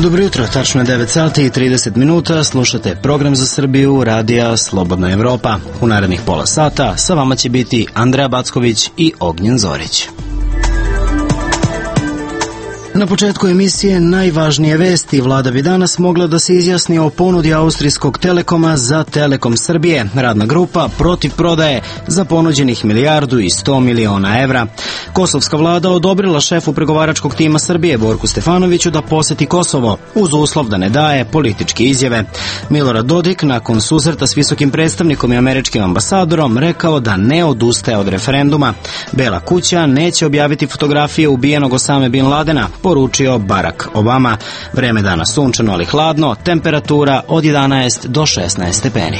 Dobro jutro, tačno je 9 sati i 30 minuta, slušate program za Srbiju, radija Slobodna Evropa. U narednih pola sata sa vama će biti Andreja Backović i Ognjen Zorić. Na početku emisije najvažnije vesti. Vlada bi danas mogla da se izjasni o ponudi austrijskog Telekoma za Telekom Srbije. Radna grupa protiv prodaje za ponuđenih 1,1 milijarda evra. Kosovska vlada odobrila šefu pregovaračkog tima Srbije Borku Stefanoviću da poseti Kosovo, uz uslov da ne daje političke izjave. Milorad Dodik, nakon susreta s visokim predstavnikom i američkim ambasadorom, rekao da ne odustaje od referenduma. Bela kuća neće objaviti fotografije ubijenog Osame Bin Ladena, poručio Barack Obama. Vreme danas sunčano, ali hladno, temperatura od 11 do 16 stepeni.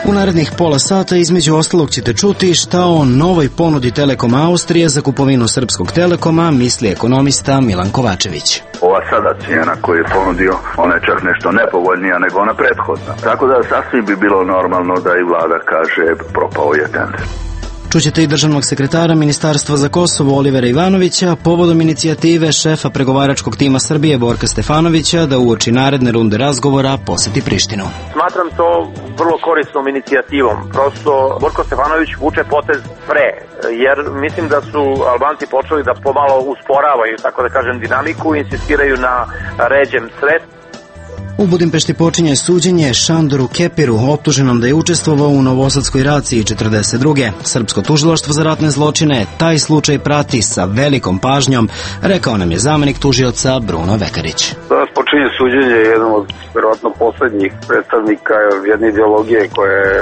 U narednih pola sata između ostalog ćete čuti šta o novoj ponudi Telekom Austrije za kupovinu Srpskog Telekoma misli ekonomista Milan Kovačević. Ova sada cijena koju je ponudio, ona je čak nešto nepovoljnija nego ona prethodna. Tako da sasvim bi bilo normalno da i vlada kaže propao je tender. Čućete i državnog sekretara Ministarstva za Kosovo Olivera Ivanovića povodom inicijative šefa pregovaračkog tima Srbije Borka Stefanovića da uoči naredne runde razgovora poseti Prištinu. Smatram to vrlo korisnom inicijativom. Prosto Borko Stefanović vuče potez pre, jer mislim da su Albanci počeli da pomalo usporavaju, tako da kažem, dinamiku i insistiraju na ređem sredstvu. U Budimpešti počinje suđenje Šandoru Kepiru, optuženom da je učestvovao u Novosadskoj raciji 42. Srpsko tužilaštvo za ratne zločine taj slučaj prati sa velikom pažnjom, rekao nam je zamenik tužioca Bruno Vekarić. Danas počinje suđenje jednom od verovatno poslednjih predstavnika jedne ideologije koja je,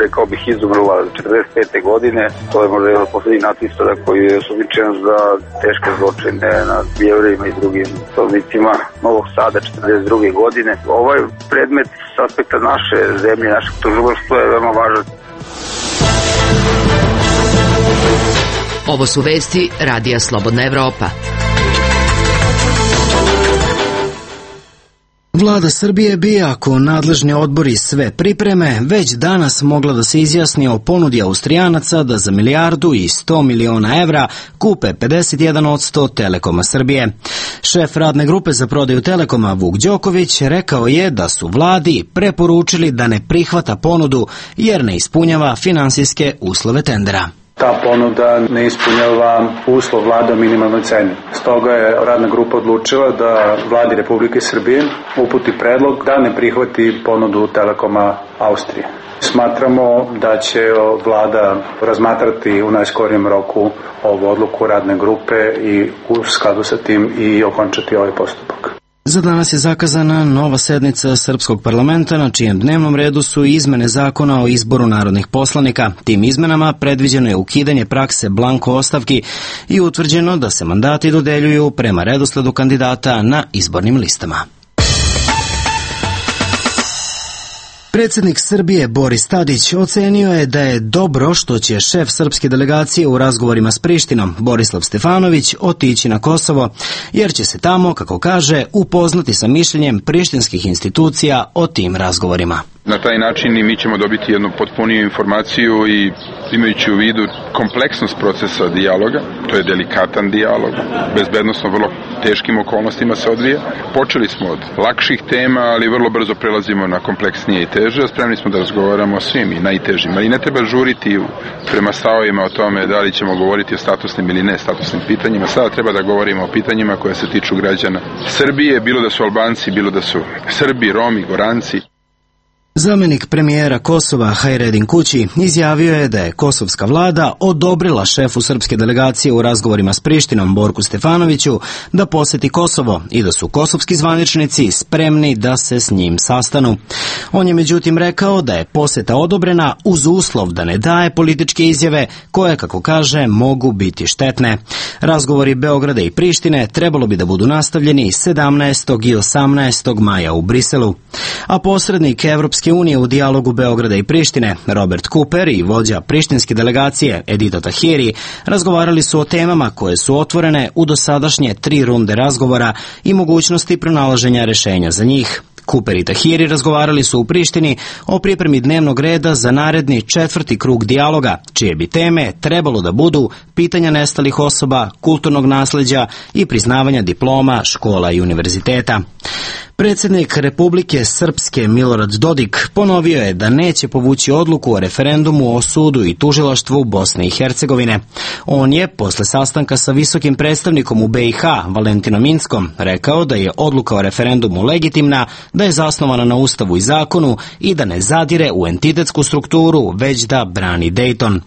rekao bih, izumrla 45. godine. To je možda jedan od poslednjih nacista koji je osumnjičen za teške zločine nad Jevrejima i drugim stanovnicima Novog Sada 42. godine. Ovaj predmet s aspekta naše zemlje, našeg tužilaštva je veoma važan. Ovo su vesti Radija Slobodna Evropa. Vlada Srbije bi, ako nadležni odbori sve pripreme, već danas mogla da se izjasni o ponudi Austrijanaca da za 1,1 milijarda evra kupe 51% Telekoma Srbije. Šef radne grupe za prodaju Telekoma Vuk Đoković rekao je da su vladi preporučili da ne prihvata ponudu jer ne ispunjava finansijske uslove tendera. Ta ponuda ne ispunjava uslov vlada o minimalnoj ceni. Stoga je radna grupa odlučila da vladi Republike Srbije uputi predlog da ne prihvati ponudu Telekoma Austrije. Smatramo da će vlada razmatrati u najskorijem roku ovu odluku radne grupe i u skladu sa tim i okončati ovaj postupak. Za danas je zakazana nova sednica Srpskog parlamenta na čijem dnevnom redu su izmene zakona o izboru narodnih poslanika. Tim izmenama predviđeno je ukidanje prakse blanko ostavki i utvrđeno da se mandati dodeljuju prema redosledu kandidata na izbornim listama. Predsjednik Srbije Boris Tadić ocenio je da je dobro što će šef srpske delegacije u razgovorima s Prištinom, Borislav Stefanović, otići na Kosovo, jer će se tamo, kako kaže, upoznati sa mišljenjem prištinskih institucija o tim razgovorima. Na taj način i mi ćemo dobiti jednu potpuniju informaciju i imajući u vidu kompleksnost procesa dijaloga, to je delikatan dijalog, bezbednosno vrlo teškim okolnostima se odvija. Počeli smo od lakših tema, ali vrlo brzo prelazimo na kompleksnije i teže, spremni smo da razgovaramo o svim i najtežim, ali ne treba žuriti prema stavovima o tome da li ćemo govoriti o statusnim ili ne statusnim pitanjima. Sada treba da govorimo o pitanjima koje se tiču građana Srbije, bilo da su Albanci, bilo da su Srbi, Romi, Goranci. Zamenik premijera Kosova Hajredin Kući izjavio je da je kosovska vlada odobrila šefu srpske delegacije u razgovorima s Prištinom Borku Stefanoviću da poseti Kosovo i da su kosovski zvaničnici spremni da se s njim sastanu. On je međutim rekao da je poseta odobrena uz uslov da ne daje političke izjave koje, kako kaže, mogu biti štetne. Razgovori Beograda i Prištine trebalo bi da budu nastavljeni 17. i 18. maja u Briselu. A posrednik Evropske unije u dijalogu Beograda i Prištine, Robert Cooper i vođa prištinske delegacije Edito Tahiri razgovarali su o temama koje su otvorene u dosadašnje 3 runde razgovora i mogućnosti pronalaženja rešenja za njih. Kuper i Tahiri razgovarali su u Prištini o pripremi dnevnog reda za naredni 4. krug dijaloga, čije bi teme trebalo da budu pitanja nestalih osoba, kulturnog nasleđa i priznavanja diploma, škola i univerziteta. Predsjednik Republike Srpske Milorad Dodik ponovio je da neće povući odluku o referendumu o sudu i tužilaštvu Bosne i Hercegovine. On je, posle sastanka sa visokim predstavnikom u BiH, Valentinom Inckom, rekao da je odluka o referendumu legitimna, da je zasnovana na Ustavu i zakonu i da ne zadire u entitetsku strukturu, već da brani Dejton.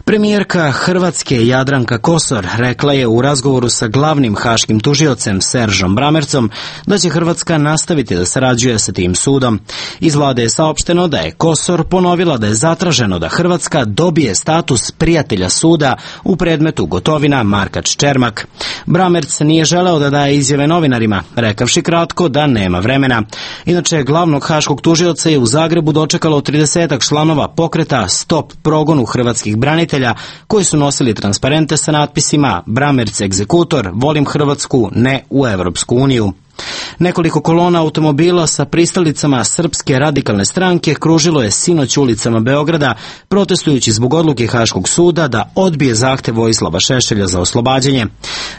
Premijerka Hrvatske Jadranka Kosor rekla je u razgovoru sa glavnim haškim tužiocem Seržom Bramercom da će Hrvatska nastaviti da sarađuje sa tim sudom. Iz vlade je saopšteno da je Kosor ponovila da je zatraženo da Hrvatska dobije status prijatelja suda u predmetu Gotovina Markač-Čermak. Bramerc nije želeo da daje izjave novinarima, rekavši kratko da nema vremena. Inače, glavnog haškog tužioca je u Zagrebu dočekalo 30 članova pokreta Stop progonu hrvatskih branitelja koji su nosili transparente sa natpisima Bramerc egzekutor, volim Hrvatsku, ne u Evropsku uniju. Nekoliko kolona automobila sa pristalicama Srpske radikalne stranke kružilo je sinoć ulicama Beograda, protestujući zbog odluke Haškog suda da odbije zahtev Vojislava Šešelja za oslobađanje.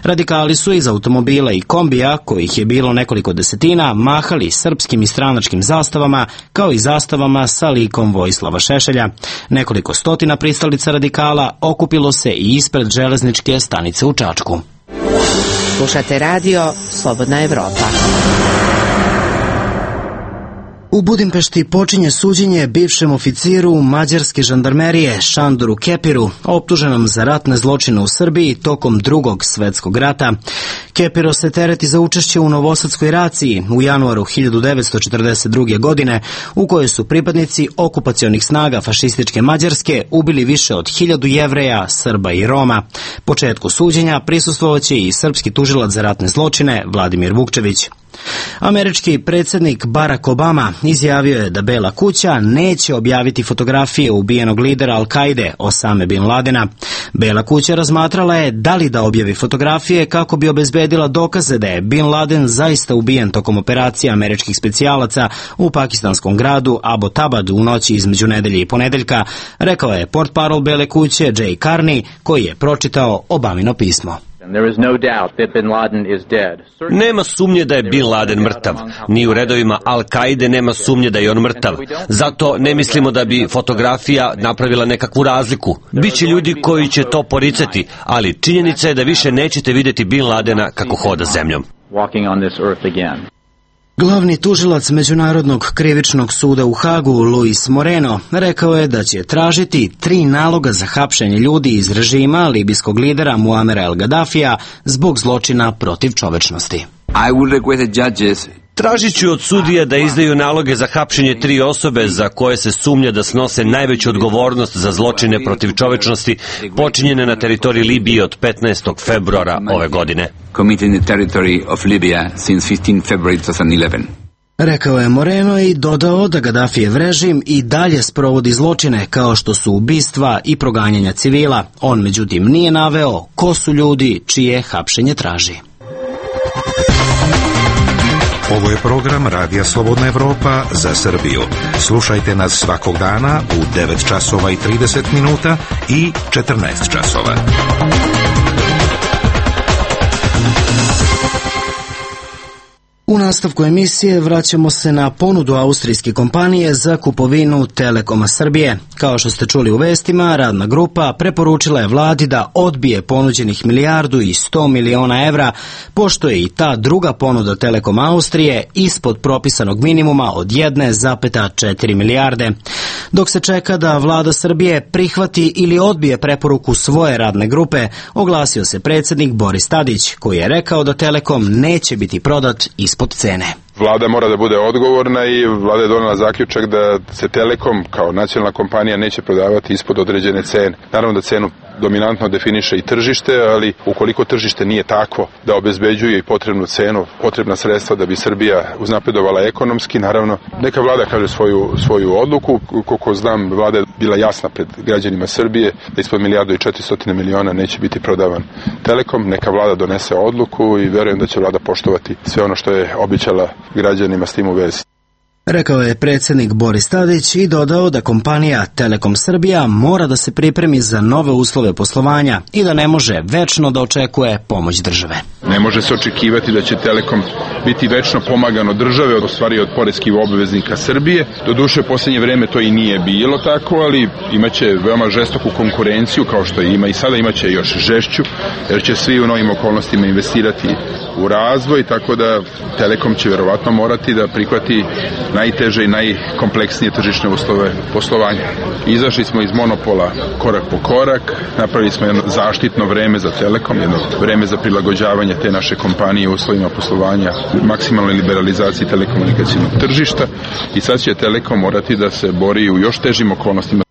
Radikali su iz automobila i kombija, kojih je bilo nekoliko desetina, mahali srpskim i stranačkim zastavama, kao i zastavama sa likom Vojislava Šešelja. Nekoliko stotina pristalica radikala okupilo se i ispred železničke stanice u Čačku. Slušate radio Slobodna Evropa. U Budimpešti počinje suđenje bivšem oficiru mađarske žandarmerije Šandoru Kepiru, optuženom za ratne zločine u Srbiji tokom Drugog svetskog rata. Kepiro se tereti za učešće u Novosadskoj raciji u januaru 1942. godine, u kojoj su pripadnici okupacionih snaga fašističke Mađarske ubili više od 1000 Jevreja, Srba i Roma. Početku suđenja prisustvovaće i srpski tužilac za ratne zločine Vladimir Vukčević. Američki predsjednik Barack Obama izjavio je da Bela kuća neće objaviti fotografije ubijenog lidera Al-Kaide Osame Bin Ladena. Bela kuća razmatrala je da li da objavi fotografije kako bi obezbedila dokaze da je Bin Laden zaista ubijen tokom operacije američkih specijalaca u pakistanskom gradu Abbottabad u noći između nedelje i ponedeljka, rekao je portparol Bele kuće Jay Carney, koji je pročitao Obamino pismo. Nema sumnje da je Bin Laden mrtav. Ni u redovima Al-Kaide nema sumnje da je on mrtav. Zato ne mislimo da bi fotografija napravila nekakvu razliku. Biće ljudi koji će to poricati, ali činjenica je da više nećete vidjeti Bin Ladena kako hoda zemljom. Glavni tužilac Međunarodnog krivičnog suda u Hagu, Luis Moreno, rekao je da će tražiti 3 naloga za hapšenje ljudi iz režima libijskog lidera Muamera El Gaddafija zbog zločina protiv čovečnosti. Tražit ću od sudija da izdaju naloge za hapšenje 3 osobe za koje se sumnja da snose najveću odgovornost za zločine protiv čovečnosti počinjene na teritoriji Libije od 15. februara ove godine. Rekao je Moreno i dodao da Gaddafijev režim i dalje sprovodi zločine kao što su ubistva i proganjanja civila. On međutim nije naveo ko su ljudi čije hapšenje traži. Ovo je program Radija Slobodna Evropa za Srbiju. Slušajte nas svakog dana u 9 časova i 30 minuta i 14 časova. U nastavku emisije vraćamo se na ponudu austrijske kompanije za kupovinu Telekoma Srbije. Kao što ste čuli u vestima, radna grupa preporučila je vladi da odbije ponuđenih 1,1 milijarda evra, pošto je i ta druga ponuda Telekoma Austrije ispod propisanog minimuma od 1,4 milijarde. Dok se čeka da vlada Srbije prihvati ili odbije preporuku svoje radne grupe, oglasio se predsjednik Boris Tadić, koji je rekao da Telekom neće biti prodat ispod cene. Vlada mora da bude odgovorna i vlada je donela zaključak da se Telekom kao nacionalna kompanija neće prodavati ispod određene cene. Naravno da cenu dominantno definiše i tržište, ali ukoliko tržište nije takvo da obezbeđuje i potrebnu cenu, potrebna sredstva da bi Srbija uznapredovala ekonomski, naravno, neka vlada kaže svoju odluku. Koliko znam, vlada je bila jasna pred građanima Srbije da ispod 1.400 miliona neće biti prodavan Telekom. Neka vlada donese odluku i verujem da će vlada poštovati sve ono što je obećala građanima s tim u vezi. Rekao je predsjednik Boris Tadić i dodao da kompanija Telekom Srbija mora da se pripremi za nove uslove poslovanja i da ne može večno da očekuje pomoć države. Ne može se očekivati da će Telekom biti večno pomagan od države, u stvari od poreskih obveznika Srbije. Doduše, u posljednje vreme to i nije bilo tako, ali imaće veoma žestoku konkurenciju, kao što ima i sada, imaće još žešću, jer će svi u novim okolnostima investirati u razvoj, tako da Telekom će verovatno morati da prihvati najteže i najkompleksnije tržišne uslove poslovanja. Izašli smo iz monopola korak po korak, napravili smo jedno zaštitno vreme za Telekom, jedno vreme za prilagođavanje te naše kompanije uslovima poslovanja, maksimalnoj liberalizaciji telekomunikacijnog tržišta i sad će Telekom morati da se bori u još težim okolnostima.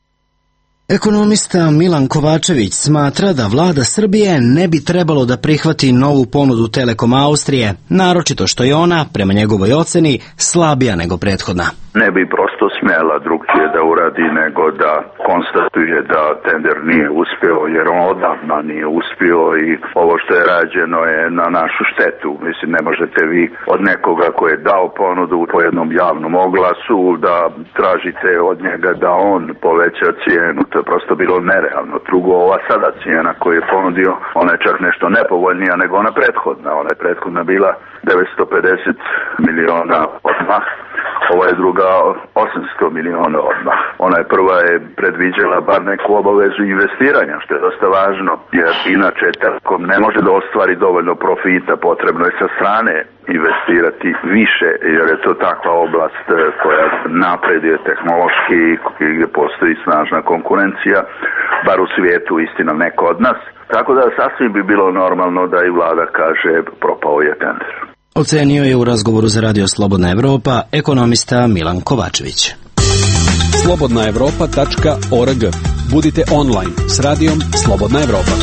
Ekonomista Milan Kovačević smatra da vlada Srbije ne bi trebalo da prihvati novu ponudu Telekom Austrije, naročito što je ona, prema njegovoj oceni, slabija nego prethodna. Ne bi prosto smjela drugčije da uradi nego da konstatuje da tender nije uspio, jer on odavno nije uspio i ovo što je rađeno je na našu štetu. Mislim, ne možete vi od nekoga koji je dao ponudu po jednom javnom oglasu da tražite od njega da on poveća cijenu. To je prosto bilo nerealno. Drugo, ova sada cijena koju je ponudio, ona je čak nešto nepovoljnija nego ona prethodna. Ona je prethodna bila 950 miliona odmah. Ova je druga 800 miliona odmah. Ona je prva je predviđala bar neku obavezu investiranja, što je dosta važno, jer inače Telekom ne može da ostvari dovoljno profita, potrebno je sa strane investirati više, jer je to takva oblast koja napreduje tehnološki i gdje postoji snažna konkurencija, bar u svijetu, istina neko od nas. Tako da sasvim bi bilo normalno da i vlada kaže propao je tender. Ocenio je u razgovoru za Radio Slobodna Evropa ekonomista Milan Kovačević. slobodnaevropa.org. Budite online s radijom Slobodna Evropa.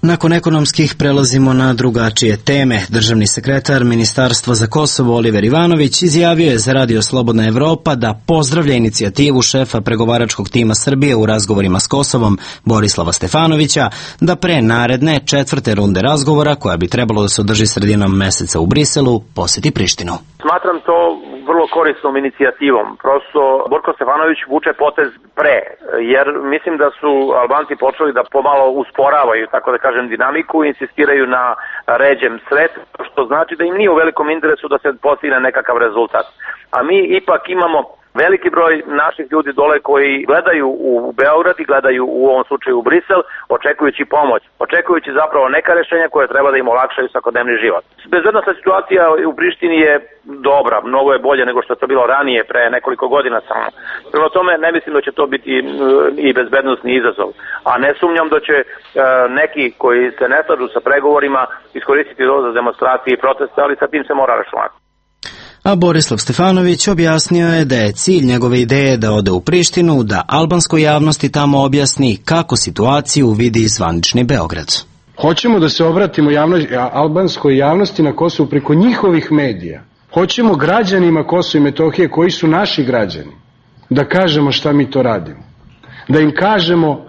Nakon ekonomskih prelazimo na drugačije teme. Državni sekretar Ministarstva za Kosovo Oliver Ivanović izjavio je za Radio Slobodna Evropa da pozdravlja inicijativu šefa pregovaračkog tima Srbije u razgovorima s Kosovom Borislava Stefanovića da pre naredne 4. runde razgovora, koja bi trebalo da se održi sredinom meseca u Briselu, poseti Prištinu. Smatram to vrlo korisnom inicijativom. Prosto Borko Stefanović vuče potez pre, jer mislim da su Albanci počeli da pomalo usporavaju, tako da kažem, dinamiku i insistiraju na ređem sredstvu, što znači da im nije u velikom interesu da se postigne nekakav rezultat. A mi ipak imamo veliki broj naših ljudi dole koji gledaju u Beograd i gledaju u ovom slučaju u Brisel, očekujući pomoć, očekujući zapravo neka rješenja koje treba da im olakšaju svakodnevni život. Bezbednosna situacija u Prištini je dobra, mnogo je bolje nego što je to bilo ranije, pre nekoliko godina samo. Prema tome ne mislim da će to biti i bezbednosni izazov. A ne sumnjam da će neki koji se ne slažu sa pregovorima iskoristiti to za demonstracije i proteste, ali sa tim se mora računati. A Borislav Stefanović objasnio je da je cilj njegove ideje da ode u Prištinu, da albanskoj javnosti tamo objasni kako situaciju vidi zvanični Beograd. Hoćemo da se obratimo albanskoj javnosti na Kosovu preko njihovih medija. Hoćemo građanima Kosova i Metohije, koji su naši građani, da kažemo šta mi to radimo. Da im kažemo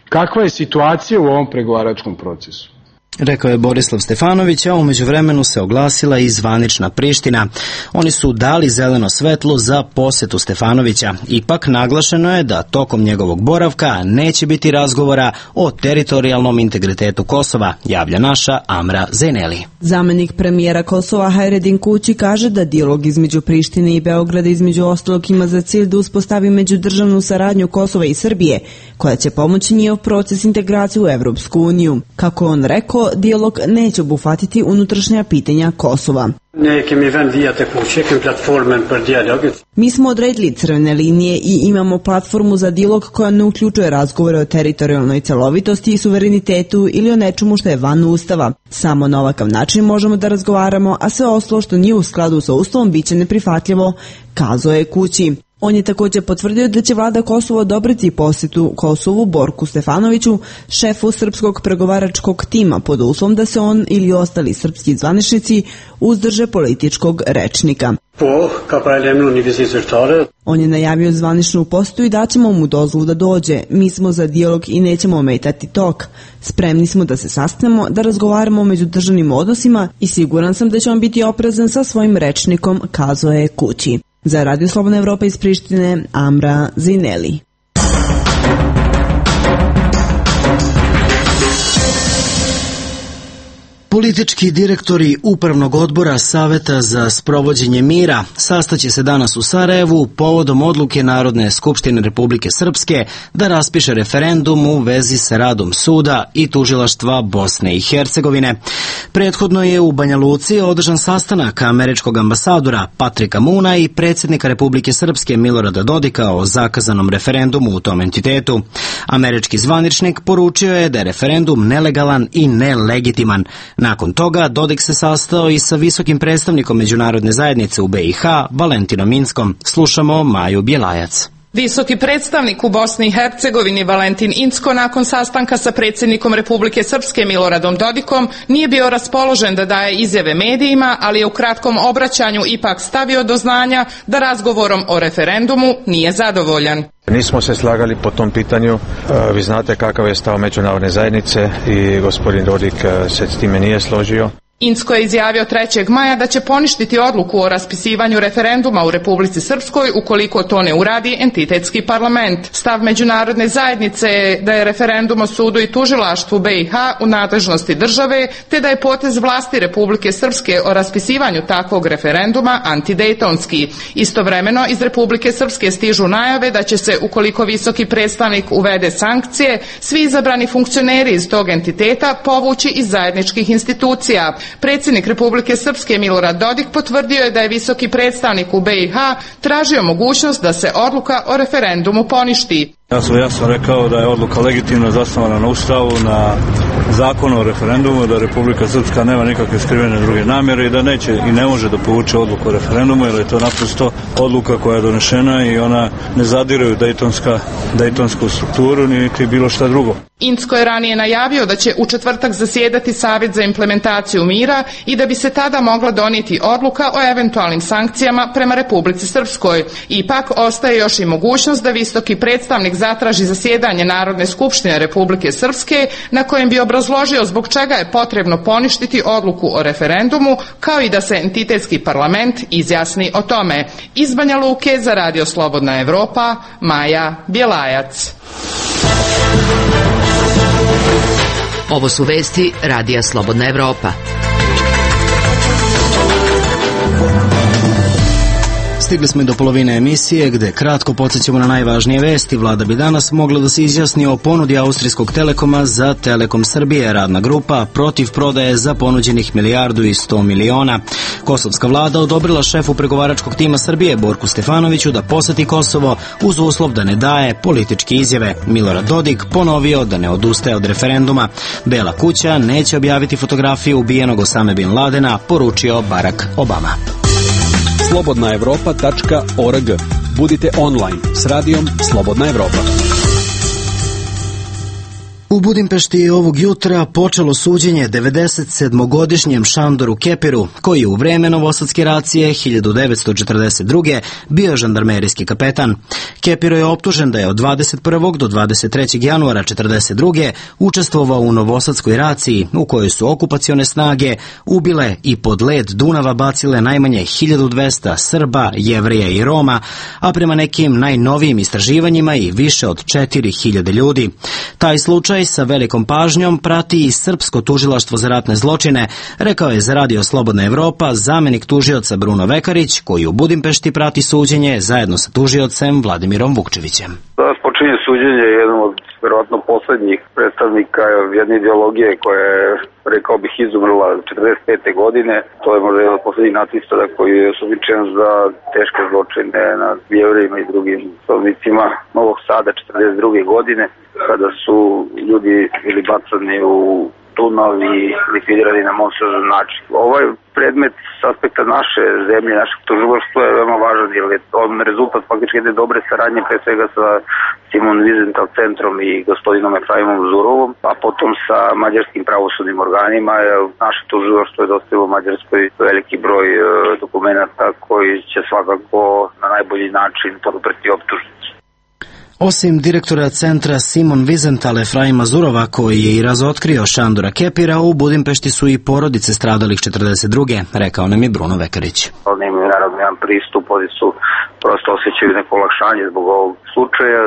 kakva je situacija u ovom pregovaračkom procesu. Rekao je Borislav Stefanović, a u međuvremenu se oglasila i zvanična Priština. Oni su dali zeleno svetlo za posetu Stefanovića. Ipak naglašeno je da tokom njegovog boravka neće biti razgovora o teritorijalnom integritetu Kosova, javlja naša Amra Zeneli. Zamenik premijera Kosova Hajredin Kući kaže da dijalog između Prištine i Beograda između ostalog ima za cilj da uspostavi međudržavnu saradnju Kosova i Srbije, koja će pomoći njihov proces integracije u Evropsku uniju. Kako on rekao, dijalog neće obuhvatiti unutrašnja pitanja Kosova. Mi smo odredili crvene linije i imamo platformu za dijalog koja ne uključuje razgovore o teritorijalnoj celovitosti i suverenitetu ili o nečemu što je van Ustava. Samo na ovakav način možemo da razgovaramo, a sve ostalo što nije u skladu sa Ustavom biće neprihvatljivo, kazao je Kući. On je također potvrdio da će vlada Kosova odobriti posjetu Kosovu Borku Stefanoviću, šefu srpskog pregovaračkog tima, pod uslovom da se on ili ostali srpski zvaničnici uzdrže političkog rečnika. On je najavio zvaničnu posetu i daćemo mu dozvolu da dođe. Mi smo za dijalog i nećemo ometati tok. Spremni smo da se sastanemo, da razgovaramo o međudržavnim odnosima i siguran sam da će on biti oprezan sa svojim rečnikom, kazao je kući. Za Radio Slobodna Evropa iz Prištine, Amra Zineli. Politički direktori Upravnog odbora Saveta za sprovođenje mira sastaće se danas u Sarajevu povodom odluke Narodne skupštine Republike Srpske da raspiše referendum u vezi sa radom suda i tužilaštva Bosne i Hercegovine. Prethodno je u Banja Luci održan sastanak američkog ambasadora Patrika Muna i predsjednika Republike Srpske Milorada Dodika o zakazanom referendumu u tom entitetu. Američki zvaničnik poručio je da je referendum nelegalan i nelegitiman. Nakon toga Dodik se sastao i sa visokim predstavnikom međunarodne zajednice u BiH, Valentinom Inckom. Slušamo Maju Bjelajac. Visoki predstavnik u Bosni i Hercegovini Valentin Incko nakon sastanka sa predsjednikom Republike Srpske Miloradom Dodikom nije bio raspoložen da daje izjave medijima, ali je u kratkom obraćanju ipak stavio do znanja da razgovorom o referendumu nije zadovoljan. Nismo se slagali po tom pitanju, vi znate kakav je stav međunarodne zajednice i gospodin Dodik se s time nije složio. Incko je izjavio 3. maja da će poništiti odluku o raspisivanju referenduma u Republici Srpskoj ukoliko to ne uradi entitetski parlament. Stav međunarodne zajednice je da je referendum o sudu i tužilaštvu BiH u nadležnosti države, te da je potez vlasti Republike Srpske o raspisivanju takvog referenduma antidejtonski. Istovremeno iz Republike Srpske stižu najave da će se, ukoliko visoki predstavnik uvede sankcije, svi izabrani funkcioneri iz tog entiteta povući iz zajedničkih institucija. Predsjednik Republike Srpske Milorad Dodik potvrdio je da je visoki predstavnik u BiH tražio mogućnost da se odluka o referendumu poništi. Ja sam rekao da je odluka legitimno zasnovana na Ustavu, na zakonu o referendumu, da Republika Srpska nema nikakve skrivene druge namjere i da neće i ne može da povuče odluku o referendumu, jer je to naprosto odluka koja je donešena i ona ne zadire u dejtonsku strukturu niti bilo šta drugo. Incko je ranije najavio da će u četvrtak zasjedati Savjet za implementaciju mira i da bi se tada mogla donijeti odluka o eventualnim sankcijama prema Republici Srpskoj. Ipak ostaje još i mogućnost da visoki predstavnik zatraži zasjedanje Narodne skupštine Republike Srpske na kojem bi obrazložio zbog čega je potrebno poništiti odluku o referendumu, kao i da se entitetski parlament izjasni o tome. Iz Banja Luke za Radio Slobodna Evropa, Maja Bjelajac. Ovo su vesti Radija Slobodna Evropa. Stigli smo i do polovine emisije gde kratko podsjećamo na najvažnije vesti. Vlada bi danas mogla da se izjasni o ponudi Austrijskog Telekoma za Telekom Srbije. Radna grupa protiv prodaje za ponuđenih 1,1 milijardu. Kosovska vlada odobrila šefu pregovaračkog tima Srbije Borku Stefanoviću da poseti Kosovo uz uslov da ne daje političke izjave. Milorad Dodik ponovio da ne odustaje od referenduma. Bela kuća neće objaviti fotografiju ubijenog Osame Bin Ladena, poručio Barack Obama. slobodnaevropa.org. Budite online s radijom Slobodna Evropa. U Budimpešti je ovog jutra počelo suđenje 97-godišnjem Šandoru Kepiru, koji je u vreme novosadske racije 1942. bio žandarmerijski kapetan. Kepiro je optužen da je od 21. do 23. januara 1942. učestvovao u novosadskoj raciji, u kojoj su okupacione snage ubile i pod led Dunava bacile najmanje 1200 Srba, Jevrija i Roma, a prema nekim najnovijim istraživanjima i više od 4000 ljudi. Taj slučaj sa velikom pažnjom prati i Srpsko tužilaštvo za ratne zločine, rekao je za Radio Slobodna Evropa zamenik tužioca Bruno Vekarić, koji u Budimpešti prati suđenje zajedno sa tužiocem Vladimirom Vukčevićem. Danas počinje suđenje jednom od verovatno poslednjih predstavnika jedne ideologije koja je, rekao bih, izumrla 45. godine. To je možda jedan od poslednjih nacista koji je osumnjičen za teške zločine nad Jevrejima i drugim stanovnicima Novog Sada 42. godine, kada su ljudi bili bacani u tunovi likvidirani na monstruozan način. Ovaj predmet s aspekta naše zemlje, našeg tužilaštva je veoma važan, jer je on rezultat faktički jedne dobre saradnje, pre svega sa Simon Wiesenthal centrom i gospodinom Efraimom Zurovom, a potom sa mađarskim pravosudnim organima. Naše tužilaštvo je dostavilo Mađarskoj veliki broj dokumenta koji će svakako na najbolji način podupreti optužnicu. Osim direktora centra Simon Wiesenthal Efraima Zurova, koji je i razotkrio Šandora Kepira, u Budimpešti su i porodice stradalih 42. rekao nam je Bruno Vekarić. Oni imaju naravno jedan pristup, oni su prosto osjećaju neko olakšanje zbog ovog slučaja,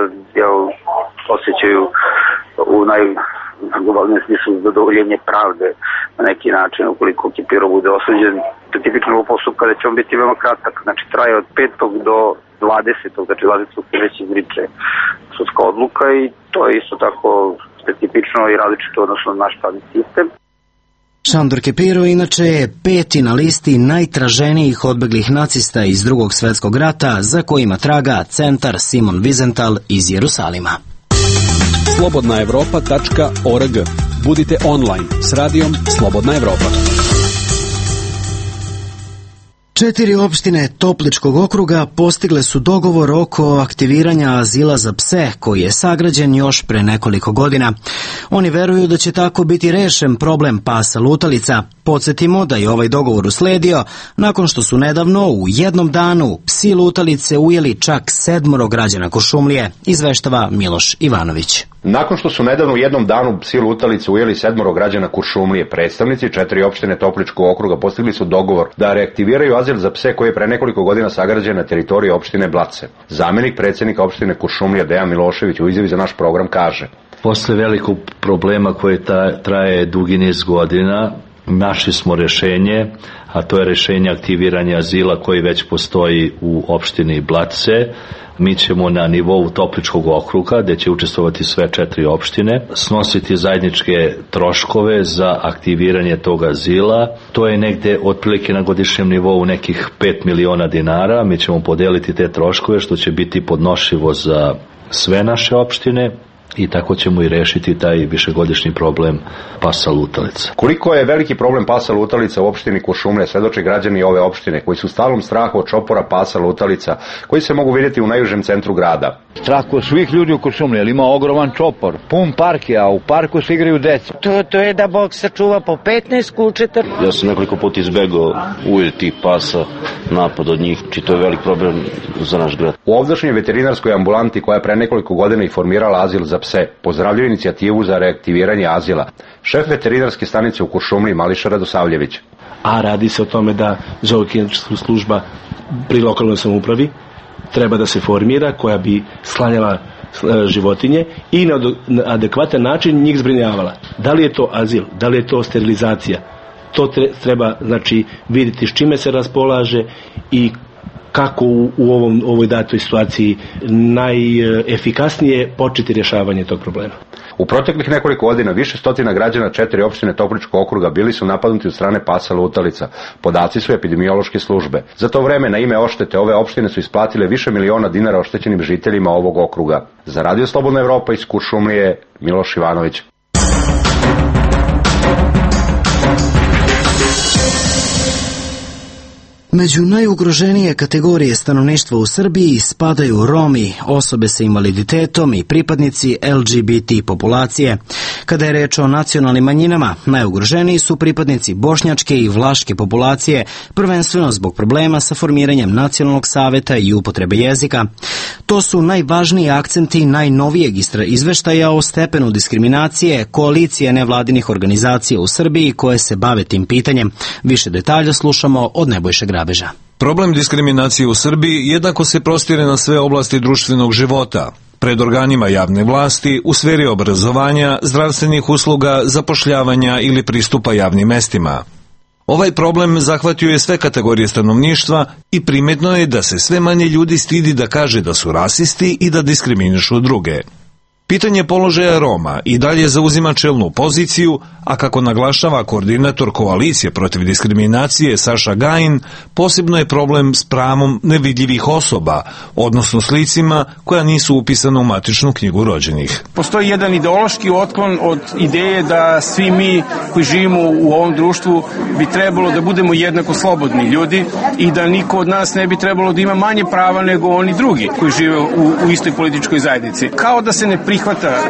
osjećaju u najglobalnijem smislu zadovoljenje pravde na neki način ukoliko Kepiro bude osuđen. Tipično ovog postupka da će on biti veoma kratak, znači traje od 5. do 20. znači 20. se već izriče sudska odluka i to je isto tako specifično i različito odnosno na naš pravni sistem. Šandor Kepiro inače je 5. na listi najtraženijih odbeglih nacista iz Drugog svjetskog rata, za kojima traga centar Simon Wiesenthal iz Jerusalima. slobodnaevropa.org. Budite online s radijom Slobodna Evropa. 4 opštine Topličkog okruga postigle su dogovor oko aktiviranja azila za pse, koji je sagrađen još pre nekoliko godina. Oni veruju da će tako biti rešen problem pasa lutalica. Podsjetimo da je ovaj dogovor usledio nakon što su nedavno u jednom danu psi lutalice ujeli čak 7 građana Kuršumlije, izveštava Miloš Ivanović. Nakon što su nedavno u jednom danu psi lutalice ujeli 7 građana Kuršumlije, predstavnici 4 opštine Topličkog okruga postigli su dogovor da reaktiviraju azil za pse koji je pre nekoliko godina sagrađen na teritoriji opštine Blace. Zamenik predsjednika opštine Kuršumlija Dejan Milošević u izjavi za naš program kaže: Posle velikog problema koje traje dugi niz godina, našli smo rešenje, a to je rešenje aktiviranja azila koji već postoji u opštini Blace. Mi ćemo na nivou Topličkog okruga, gde će učestvovati sve 4 opštine, snositi zajedničke troškove za aktiviranje tog azila. To je negde otprilike na godišnjem nivou nekih 5 miliona dinara. Mi ćemo podeliti te troškove, što će biti podnošljivo za sve naše opštine. I tako ćemo i rešiti taj višegodišnji problem pasa lutalica. Koliko je veliki problem pasa lutalica u opštini Kuršumlija, svedoče građani ove opštine koji su u stalnom strahu od čopora pasa lutalica koji se mogu vidjeti u najužem centru grada. Strah kod svih ljudi u Kuršumliji, jer ima ogroman čopor, pun park je, a u parku se igraju deca. To je da Bog sačuva po 15 kućeta. Ja sam nekoliko puta izbegao ujel tih pasa, napad od njih, či to je velik problem za naš grad. U ovdašnjoj veterinarskoj ambulanti koja je pre nekoliko godina i formirala azil za pse, pozdravljaju inicijativu za reaktiviranje azila. Šef veterinarske stanice u Kuršumliji Mališa Radosavljević. A radi se o tome da zootehnička služba pri lokalnoj samoupravi treba da se formira, koja bi sklanjala životinje i na adekvatan način njih zbrinjavala. Da li je to azil, da li je to sterilizacija, to treba znači vidjeti s čime se raspolaže i kako u ovoj datoj situaciji najefikasnije početi rješavanje tog problema. U proteklih nekoliko godina više stotina građana 4 opštine Topličkog okruga bili su napadnuti od strane pasa lutalica. Podaci su epidemiološke službe. Za to vreme na ime oštete ove opštine su isplatile više miliona dinara oštećenim žiteljima ovog okruga. Za Radio Slobodna Evropa iz Kuršumlije, Miloš Ivanović. Među najugroženije kategorije stanovništva u Srbiji spadaju Romi, osobe sa invaliditetom i pripadnici LGBT populacije. Kada je reč o nacionalnim manjinama, najugroženiji su pripadnici bošnjačke i vlaške populacije, prvenstveno zbog problema sa formiranjem nacionalnog saveta i upotrebe jezika. To su najvažniji akcenti najnovijeg izveštaja o stepenu diskriminacije koalicije nevladinih organizacija u Srbiji koje se bave tim pitanjem. Više detalja slušamo od Nebojše Grabeža. Problem diskriminacije u Srbiji jednako se prostire na sve oblasti društvenog života. Pred organima javne vlasti, u sferi obrazovanja, zdravstvenih usluga, zapošljavanja ili pristupa javnim mestima. Ovaj problem zahvatio je sve kategorije stanovništva i primetno je da se sve manje ljudi stidi da kaže da su rasisti i da diskriminišu druge. Pitanje položaja Roma i dalje zauzima čelnu poziciju, a kako naglašava koordinator koalicije protiv diskriminacije Saša Gajin, posebno je problem s pravom nevidljivih osoba, odnosno s licima koja nisu upisana u matičnu knjigu rođenih. Postoji jedan ideološki otklon od ideje da svi mi koji živimo u ovom društvu bi trebalo da budemo jednako slobodni ljudi i da niko od nas ne bi trebalo da ima manje prava nego oni drugi koji žive u istoj političkoj zajednici. Kao da se ne prihvata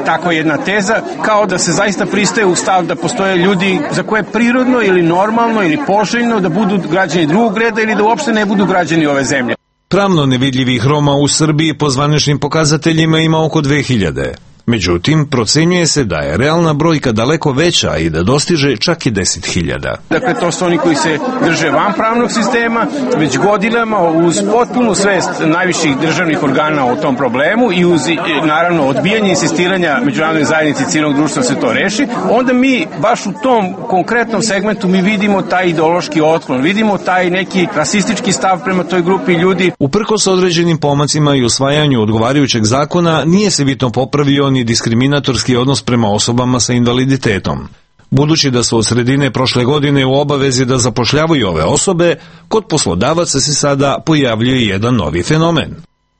takva jedna teza, kao da se zaista pristaje u stav da postoje ljudi za koje je prirodno ili normalno ili poželjno da budu građani drugog reda ili da uopšte ne budu građani ove zemlje. Pravno nevidljivih Roma u Srbiji po zvaničnim pokazateljima ima oko 2000. Međutim, procenjuje se da je realna brojka daleko veća i da dostiže čak i 10.000. Dakle, to su oni koji se drže van pravnog sistema, već godinama uz potpunu svest najviših državnih organa o tom problemu i uz, naravno, odbijanje insistiranja međunarodne zajednice i civilnog društva da se to reši, onda mi baš u tom konkretnom segmentu mi vidimo taj ideološki otklon, vidimo taj neki rasistički stav prema toj grupi ljudi. Uprkos određenim pomacima i usvajanju odgovarajućeg zakona, nije se bitno popravio ni diskriminatorski odnos prema osobama sa invaliditetom. Budući da su od sredine prošle godine u obavezi da zapošljavaju ove osobe, kod poslodavaca se sada pojavljuje jedan novi fenomen.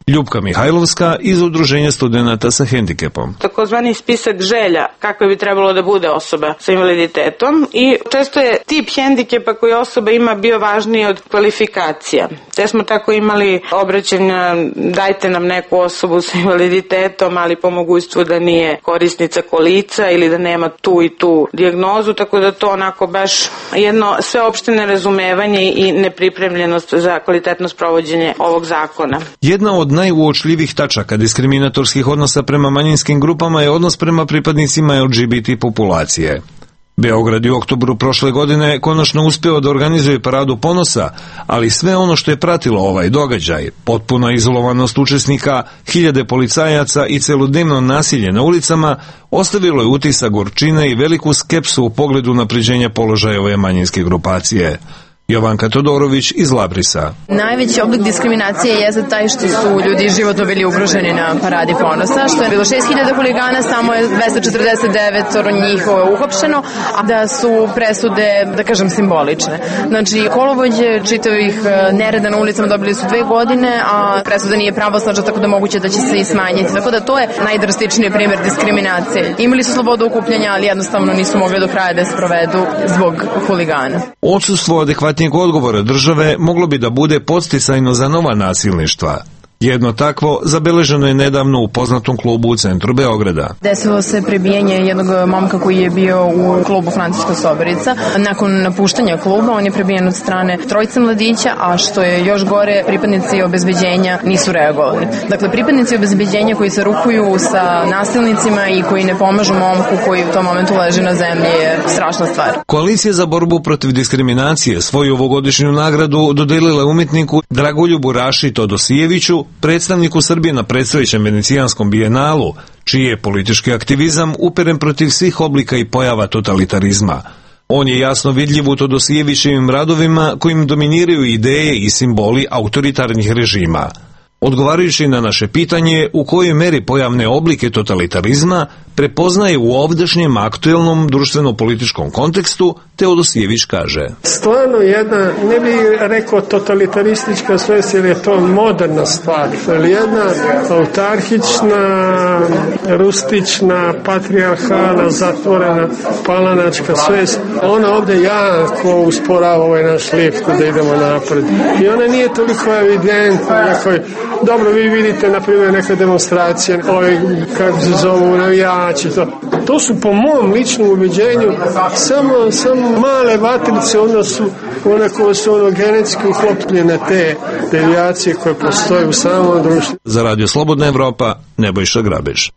Ljupka Mihajlovska iz Udruženja studenata sa hendikepom. Takozvani spisak želja kakve bi trebalo da bude osoba sa invaliditetom i često je tip hendikepa koji osoba ima bio važniji od kvalifikacija. Te smo tako imali obraćanja dajte nam neku osobu sa invaliditetom, ali po mogućstvu da nije korisnica kolica ili da nema tu i tu dijagnozu, tako da to onako baš jedno sveopšte nerazumevanje i nepripremljenost za kvalitetno sprovođenje ovog zakona. Jedna od najuočljivih tačaka diskriminatorskih odnosa prema manjinskim grupama je odnos prema pripadnicima LGBT populacije. Beograd je u oktobru prošle godine konačno uspeo da organizuje paradu ponosa, ali sve ono što je pratilo ovaj događaj, potpuna izolovanost učesnika, hiljade policajaca i celodnevno nasilje na ulicama, ostavilo je utisak gorčine i veliku skepsu u pogledu unapređenja položaja ove manjinske grupacije. Jovanka Todorović iz Labrisa. Najveći oblik diskriminacije je taj što su ljudi životno bili ugroženi na paradi ponosa, što je bilo 6.000 huligana, samo je 249 njih uhapšeno, a da su presude, da kažem, simbolične. Znači, kolovođe čitavih nereda na ulicama dobili su 2 godine, a presuda nije pravosnažna, tako da moguće da će se i smanjiti. Tako da to je najdrastičniji primjer diskriminacije. Imali su slobodu okupljanja, ali jednostavno nisu mogli do kraja da je sprovedu zbog huligana. Odsustvo adekvatnijeg odgovora države moglo bi da bude podsticajno za nova nasilništva. Jedno takvo zabeleženo je nedavno u poznatom klubu u centru Beograda. Desilo se prebijanje jednog momka koji je bio u klubu Francuska Soberica. Nakon napuštanja kluba on je prebijen od strane 3 mladića, a što je još gore, pripadnici obezbeđenja nisu reagovali. Dakle, pripadnici obezbeđenja koji se rukuju sa nasilnicima i koji ne pomažu momku koji u tom momentu leži na zemlji je strašna stvar. Koalicija za borbu protiv diskriminacije svoju ovogodišnju nagradu dodelila umjetniku Dragoljubu Raši Todosijeviću, predstavniku Srbije na predstojećem Venecijanskom bijenalu, čiji je politički aktivizam uperen protiv svih oblika i pojava totalitarizma. On je jasno vidljiv u Todosijevićevim radovima kojim dominiraju ideje i simboli autoritarnih režima. Odgovarajući na naše pitanje u kojoj meri pojavne oblike totalitarizma prepoznaje u ovdašnjem aktuelnom društveno-političkom kontekstu, Teodosijević kaže. Stvarno jedna, ne bih rekao totalitaristička svest, jer je to moderna stvar, ali jedna autarhična, rustična, patrijarhalna, zatvorena, palanačka svest. Ona ovdje jako usporava ovaj naš lift da idemo napred. I ona nije toliko evidentna, dobro, vi vidite, na primjer, neka demonstracija, kako se zovu, navijači, to su po mom ličnom ubeđenju samo male vatrice, one koje su genetski uklopljene, te devijacije koje postoje u samom društvu. Za Radio Slobodna Evropa, Nebojša Grabež.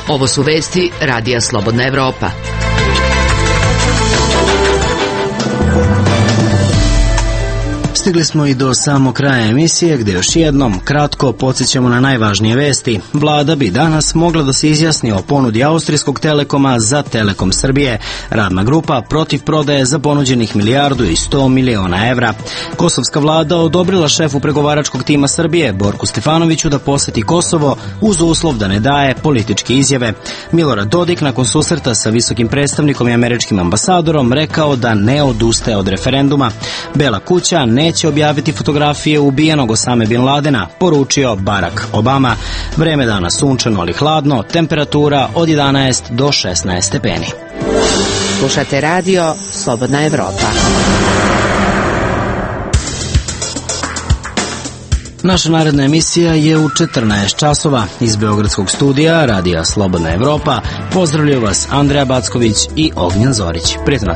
Ovo su vesti Radija Slobodna Evropa. Stigli smo i do samog kraja emisije gdje još jednom kratko podsjećamo na najvažnije vesti. Vlada bi danas mogla da se izjasni o ponudi Austrijskog Telekoma za Telekom Srbije. Radna grupa protiv prodaje za ponuđenih 1,1 milijardu evra. Kosovska vlada odobrila šefu pregovaračkog tima Srbije, Borku Stefanoviću, da poseti Kosovo uz uslov da ne daje političke izjave. Milorad Dodik nakon susreta sa visokim predstavnikom i američkim ambasadorom rekao da ne odustaje od referenduma. Bela kuća neće objaviti fotografije ubijenog Osame Bin Ladena, poručio Barack Obama. Vreme danas sunčano ali hladno, temperatura od 11 do 16 stepeni. Slušate radio Slobodna Evropa. Naša naredna emisija je u 14 časova. Iz Beogradskog studija radija Slobodna Evropa pozdravljaju vas Andreja Backović i Ognjen Zorić. Prijatno.